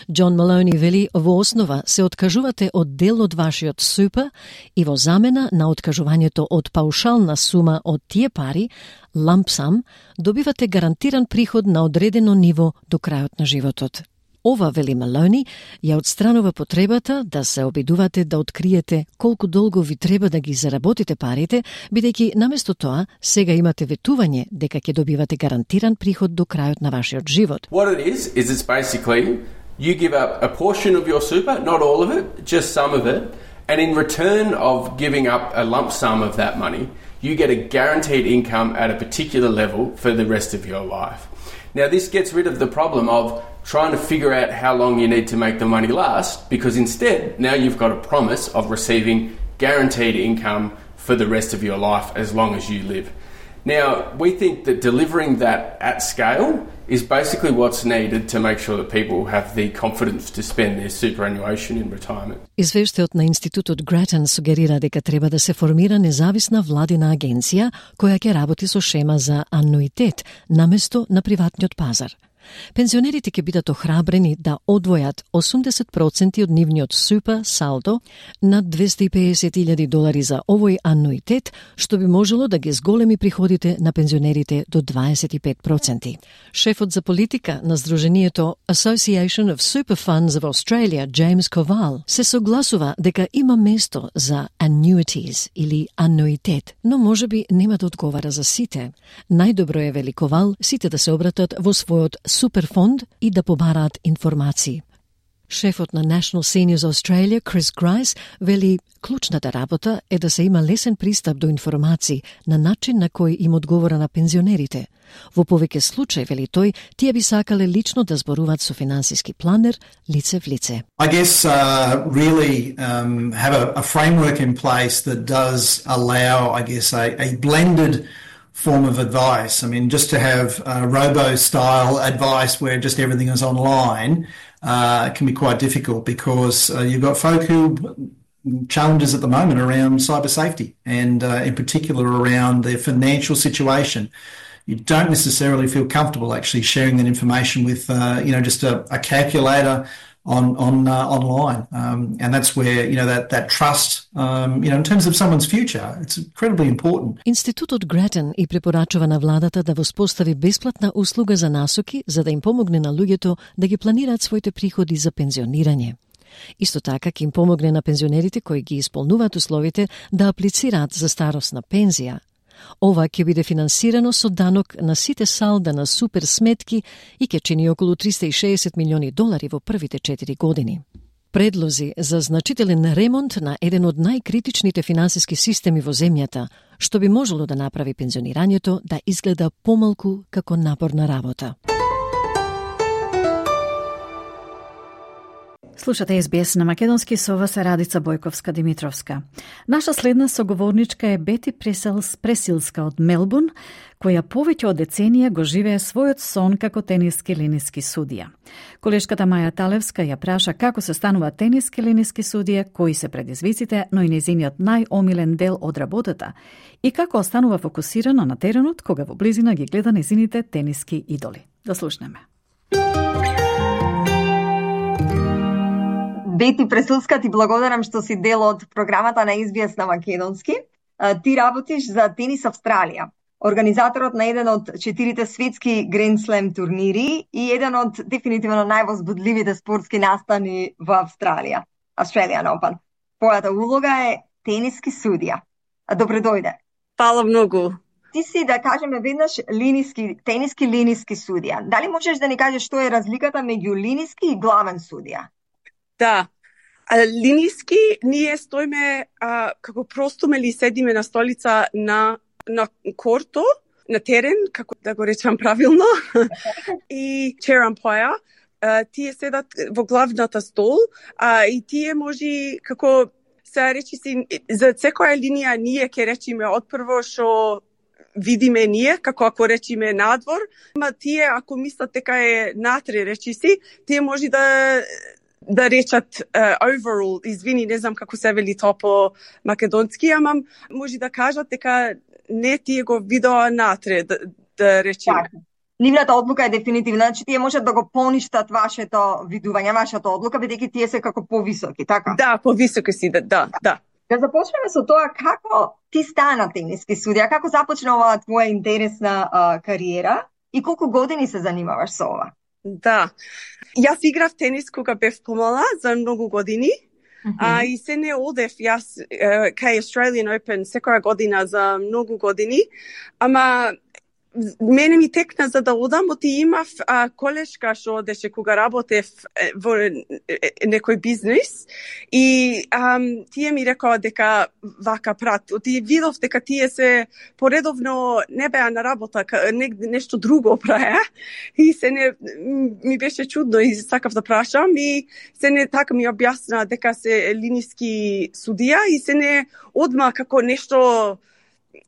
Џон Малони вели во основа се откажувате од дел од вашиот супа и во замена на откажувањето од паушална сума од тие пари, лампсам, добивате гарантиран приход на одредено ниво до крајот на животот. Ова, вели Малони, ја отстранува потребата да се обидувате да откриете колку долго ви треба да ги заработите парите, бидејќи наместо тоа сега имате ветување дека ќе добивате гарантиран приход до крајот на вашиот живот. What it is is it's basically you give up a portion of your super, not all of it, just some of it, And in return of giving up a lump sum of that money, you get a guaranteed income at a particular level for the rest of your life. Now, this gets rid of the problem of trying to figure out how long you need to make the money last, because instead, now you've got a promise of receiving guaranteed income for the rest of your life as long as you live. Now, we think that delivering that at scale is basically what's needed to make sure that people have the confidence to spend their superannuation in retirement. Извештајот на Институтот Гратен сугерира дека треба да се формира независна владина агенција која ќе работи со шема за ануитет наместо на приватниот пазар. Пензионерите ќе бидат охрабрени да одвојат осумдесет проценти од нивниот супер салдо над двесте и педесет илјади долари за овој ануитет, што би можело да ги зголеми приходите на пензионерите до дваесет и пет проценти. Шефот за политика на Сдруженијето Association of Super Funds of Australia, James Koval, се согласува дека има место за annuities или ануитет, но можеби нема да одговара за сите. Најдобро е, вели Koval, сите да се обратат во својот суперфонд и да побараат информации. Шефот на National Seniors Australia, Chris Grice, вели клучната работа е да се има лесен пристап до информации на начин на кој им одговора на пензионерите. Во повеќе случаи, вели тој, тие би сакале лично да зборуваат со финансиски планер лице в лице. I guess uh, really um, have a, a framework in place that does allow, I guess, a, a blended form of advice. I mean, just to have uh, robo-style advice where just everything is online uh, can be quite difficult, because uh, you've got folk who challenges at the moment around cyber safety and uh, in particular around their financial situation. You don't necessarily feel comfortable actually sharing that information with, uh, you know, just a, a calculator on on uh, online, um, and that's where, you know, that that trust, um, you know, in terms of someone's future, it's incredibly important. Институтот Гратен и препорачува на владата да воспостави бесплатна услуга за насоки за да им помогне на луѓето да ги планираат своите приходи за пензионирање. Исто така ќе им помогне на пензионерите кои ги исполнуваат условите да аплицираат за старосна пензија. Ова ќе биде финансирано со данок на сите салда на супер сметки и ќе чини околу триста и шеесет милиони долари во првите четири години. Предлози за значителен ремонт на еден од најкритичните финансиски системи во земјата, што би можело да направи пензионирањето да изгледа помалку како напорна работа. Слушате Ес Би Ес на македонски, со вас е Радица Бојковска-Димитровска. Наша следна соговорничка е Бети Пресилска од Мелбурн, која повеќе од деценија го живее својот сон како тениски линиски судија. Колешката Маја Талевска ја праша како се станува тениски линиски судија, кои се предизвиците, но и нејзиниот најомилен дел од работата и како останува фокусирана на теренот кога во близина ги гледа нејзините тениски идоли. Да слушнеме. Бети Пресилска, ти благодарам што си дел од програмата на Ес Би Ес на македонски. Ти работиш за Тенис Австралија, организаторот на еден од четирите светски Grand Slam турнири и еден од дефинитивно највозбудливите спортски настани во Австралија, Australian Open. Твојата улога е тениски судија. Добре дојде. Фала многу. Ти си, да кажеме веднаш, линиски, тениски линиски судија. Дали можеш да ни кажеш што е разликата меѓу линиски и главен судија? Да, а, линиски ние стоиме а, како простуме или седиме на столица на, на корто, на терен, како да го речам правилно, и chair umpire, а, тие седат во главната стол, а, и тие може, како се речи си, за секоја линија ние ќе речиме одпрво што видиме ние, како ако речиме надвор, ама тие ако мислат дека е натре, речи си, тие може да да речат uh, overall, извини, не знам како се вели тоа по македонски, ама може да кажат дека не тие го видоа натре, да, да речеме. Так. Нивната одлука е дефинитивна, значи тие можат да го поништат вашето видување, вашата одлука, бидејќи тие се како повисоки, така? Да, повисоки си, да, да, да. Да започнеме со тоа како ти стана тениски судија, како започна оваа твоја интересна uh, кариера и колку години се занимаваш со ова? Да. Јас играв тенис кога бев помала за многу години. Mm-hmm. А и се не одев јас uh, кај Australian Open секоја година за многу години. Ама мене ми текна за да одам, оти имав а, колешка што одеше кога работев во некој бизнис и а, тие ми рекоа дека вака прат. Оти видов дека тие се поредовно не беа на работа, не, нешто друго праја и се не ми беше чудно и сакав да прашам и се не така ми објасна дека се линиски судија и се не одма како нешто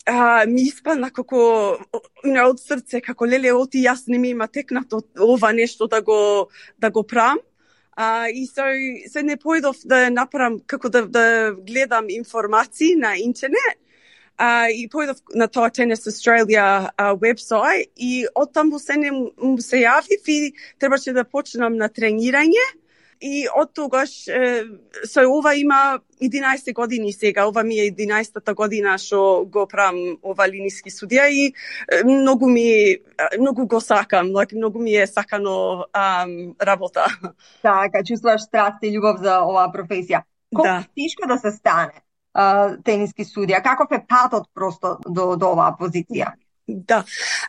а, ми испадна како не, од срце, како леле оти јас не ми има текнато ова нешто да го да го прам. А, и се, се не појдов да направам како да, да гледам информации на интернет. Uh, и појдов на тоа Tennis Australia uh, вебсайт и оттаму се не му се јавив и требаше да почнам на тренирање и од тогаш е, со ова има единаесет години сега, ова ми е единаесетата година што го правам ова линиски судија и е, многу ми многу го сакам, like, многу ми е сакано um, работа. Така, чувствуваш страст и љубов за оваа професија. Колку да. Тешко да се стане Uh, тениски судија? Каков е патот просто до, до оваа позиција? Да.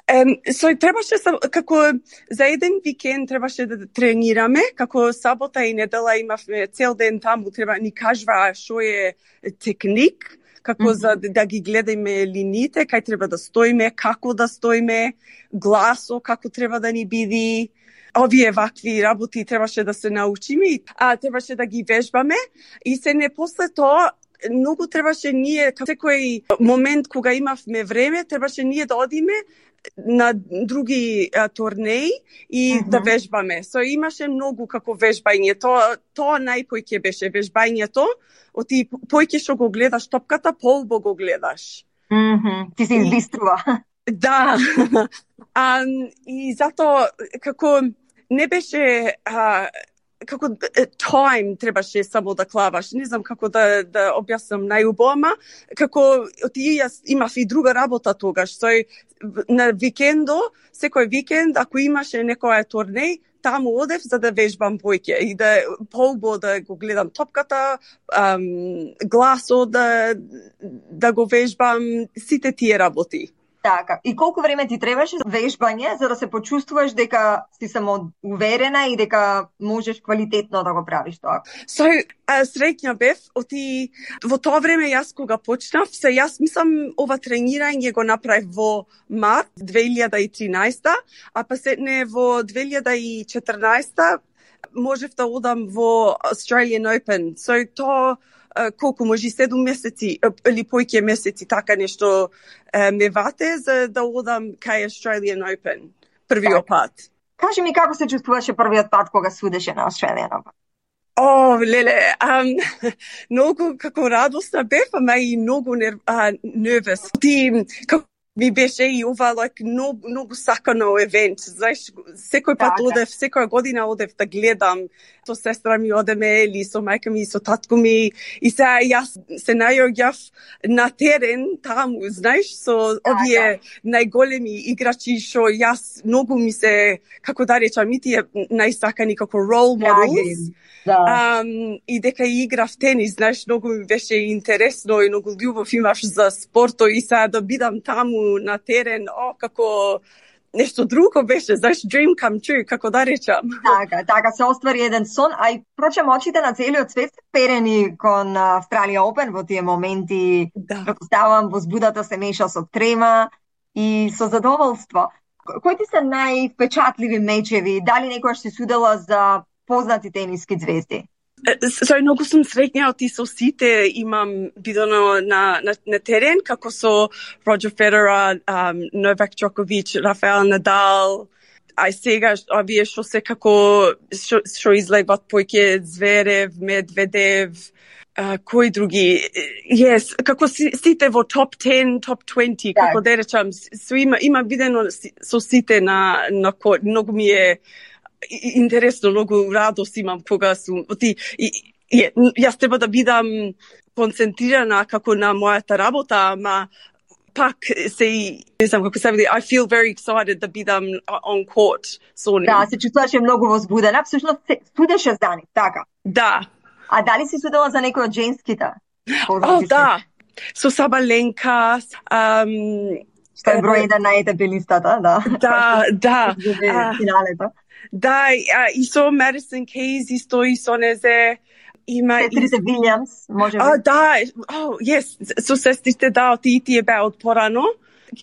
Um, so, требаше, како за еден викенд требаше да тренираме, како сабота и недела имавме цел ден таму, треба ни кажува што е техник, како mm-hmm. за да ги гледаме линиите, кај треба да стоиме, како да стоиме, гласо, како треба да ни биде. Овие вакви работи требаше да се научиме, а требаше да ги вежбаме и се не после тоа многу требаше ние, секој момент кога имавме време, требаше ние да одиме на други а, турнеи и uh-huh. да вежбаме. So, имаше многу како вежбање. Тоа, тоа најпојќе беше вежбањето. Оти појќе што го гледаш топката, полбо го гледаш. Mm-hmm. Ти се избиструва. Да. а, и затоа, како не беше... А, како time требаше само да клаваш. Не знам како да да објаснам најубаво, како ти јас имав и друга работа тогаш. Сој на викендо, секој викенд ако имаше некоја турнеј, таму одев за да вежбам појќе и да полбо да го гледам топката, ам, гласо да да го вежбам, сите тие работи. Така. И колку време ти требаше за вежбање за да се почувствуваш дека си самоуверена и дека можеш квалитетно да го правиш тоа? So, uh, среќна бев, оти во тоа време јас кога почнав, се јас мислам ова тренирање го направив во март две илјади и тринаесета, а па сетне во две илјади и четрнаесета можев да одам во Australian Open. So, тоа Uh, колку може седум месеци или појќе месеци така нешто uh, ме вате за да одам кај Australian Open првиот пат. Кажи ми како се чувствуваше првиот пат кога судеше на Australian Open? О, леле, um, многу како радосна бев, ама и многу нерв, uh, нервес. Ти како ми беше и ова like, многу, многу сакано евент. Знаеш, секој пат да, одев, секоја година одев да гледам. Со сестра ми одеме или со мајка ми, со татко ми. И сега јас се најоѓав на терен таму, знаеш, со овие најголеми играчи што јас многу ми се, како да речам, и тие најсакани како role models. Да. Um, и дека играв тенис, знаеш, многу ми беше интересно и многу љубов имаш за спорто и сега да бидам таму на терен, о, како нешто друго беше, знаеш, dream come true, како да речам. Така, така се оствари еден сон, а и прочем очите на целиот свет се перени кон Australia Open во тие моменти, да. Предпоставам, возбудата се меша со трема и со задоволство. Кои ти се највпечатливи мечеви? Дали некојаш си судела за познати тениски звезди? So, многу сум среќна и со сите имам видено на, на, на терен, како со Роджер Федерер, um, Новак Џоковиќ, Рафаел Надал, а сега овие што се како што, што излегват појќе Зверев, Медведев, uh, кои други? Yes, како си, сите во топ ten, топ twenty, да. Како да речам, со има има видено со сите на на кој многу ми е интересно, многу радост имам кога сум оти и, и, јас треба да бидам концентрирана како на мојата работа, ама пак се не знам како се види, I feel very excited да бидам on court со нив. Да, се чувствуваше многу возбудена, всушност се судеше за нив, така. Да. А дали си судела за некој од женските? О, да. Со Сабаленка, um, Што е број еден на е те пе листата, да. Да, да. Финалето. Да, и со Madison Keys, исто и со незе, има... Сестрите Вилјамс, може би? А, да, oh, yes, со сестрите, да, ти тие беа од порано.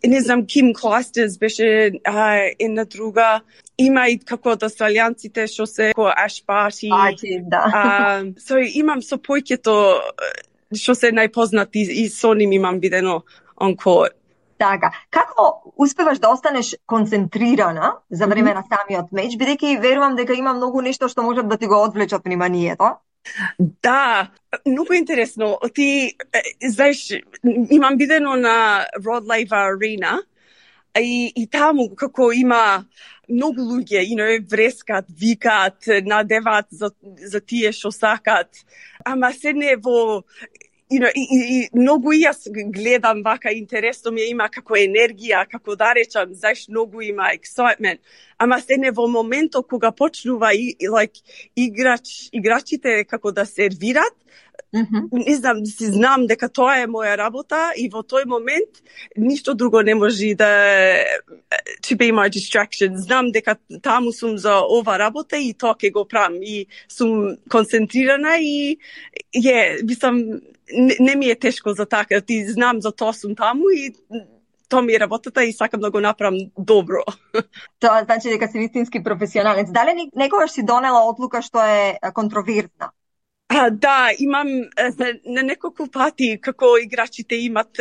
Не знам, Ким Клайстерс беше а, една друга. Има и како од австралијанците што се како Ash Barty. Barty, да. А, so, имам со појќето што се најпознати и со ним имам видено on court. Така, како успеваш да останеш концентрирана за време на самиот меч, бидејќи верувам дека има многу нешто што можат да ти го одвлечат вниманието? Да, многу интересно. Ти, знаеш, имам видено на Rod Laver Arena и, и таму како има многу луѓе, you know, врескат, викат, надеват за, за тие што сакат. Ама се не во... You know, и, и, и многу и јас гледам вака, интересно ми има како енергија, како да речам, знаеш, многу има excitement. Ама се не во моментот кога почнува и, и like, играч, играчите како да сервират, mm-hmm. не знам, си знам дека тоа е моја работа и во тој момент ништо друго не може да to be my distraction. Знам дека таму сум за ова работа и тоа ќе го правам и сум концентрирана и е, мислам, Не, не ми е тешко за така, ти знам за тоа сум таму и тоа ми е работата и сакам да го направам добро. Тоа значи дека си вистински професионалец. Дали некогаш си донела одлука што е контроверзна? А, да, имам на неколку пати како играчите имат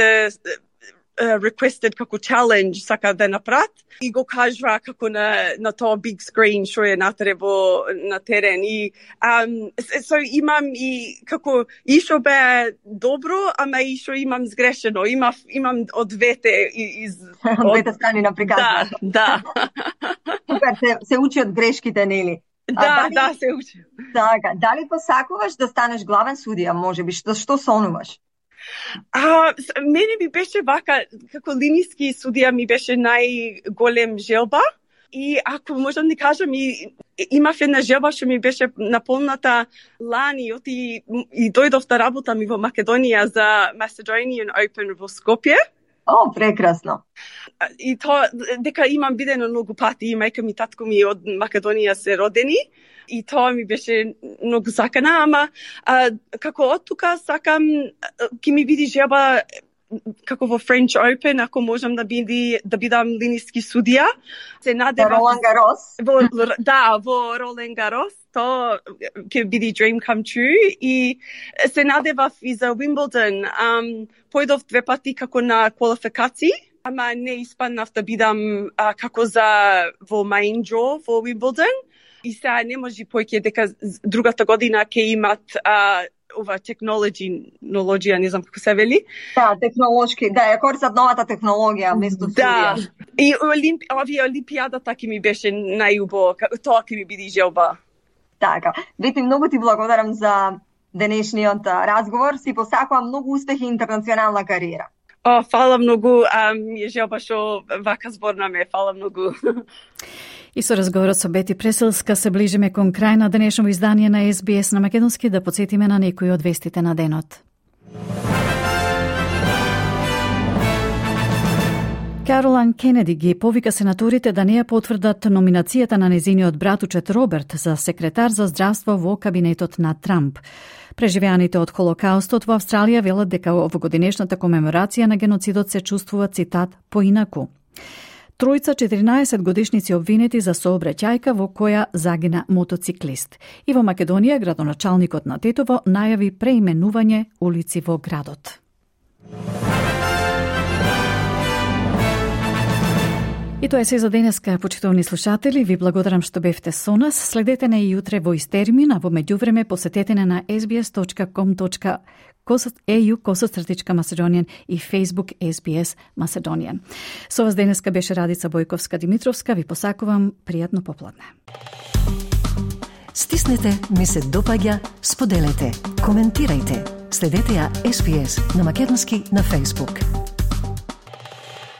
Uh, requested како challenge сака да направат и го кажува како на, на тоа big screen што е натре во на терен и um, so имам и како и што бе добро, ама и што имам сгрешено. Има, имам од двете из од двете страни на приказната. Да, да. се, се учи од грешките, нели? Да, дали, да, се учи. Така, дали посакуваш да станеш главен судија, можеби, што што сонуваш? А, мене ми беше вака, како линиски судија ми беше најголем желба и ако можам да кажам и имав една желба што ми беше наполната лани оти и дојдов да работам и во Македонија за Macedonian Open во Скопје. О, прекрасно. И тоа дека имам видено многу пати и мајка ми, татко ми од Македонија се родени. И тоа ми беше многу сакана, ама а, како од тука сакам, ќе ми биде желба како во French Open, ако можам да биди да бидам линиски судија. Се надевам во Ролан Гарос. Во, да, во Ролан Гарос, тоа ќе биде dream come true и се надевав и за Wimbledon. Um, појдов две пати како на квалификации, ама не испаднав да бидам а, како за во main draw во Wimbledon. И сега не може појќе дека другата година ќе имат а, ова технологија, не знам како се вели. Да, технолошки, да, ја користат новата технологија место да. Судија. И олимп, овие олимпијадата ќе ми беше најубаво, тоа ќе ми биде желба. Така, Вети, многу ти благодарам за денешниот разговор, си посакувам многу успех и интернационална кариера. О, фала многу, а, ми е желба што вака зборна ме, фала многу. И со разговорот со Бети Преселска се ближиме кон крај на денешното издание на Ес Би Ес на македонски, да потсетиме на некои од вестите на денот. Каролайн Кенеди ги повика сенаторите да не ја потврдат номинацијата на незиниот братучет Роберт за секретар за здравство во кабинетот на Трамп. Преживеаните од Холокаустот во Австралија велат дека овогодинешната комеморација на геноцидот се чувствува, цитат, поинаку. Тројца четиринаесет годишници обвинети за сообраќајка во која загина мотоциклист. И во Македонија градоначалникот на Тетово најави преименување улици во градот. И тоа е се за денеска, почитувани слушатели. Ви благодарам што бевте со нас. Следете не и утре во ист термин, а во меѓувреме посетете не на ес би ес точка ком точка ей ю косостратичка Macedonian и Facebook Ес Би Ес Macedonian. Со вас денеска беше Радица Бојковска-Димитровска. Ви посакувам пријатно попладне. Стиснете, ми се допаѓа, споделете, коментирајте. Следете ја Ес Би Ес на македонски на Facebook.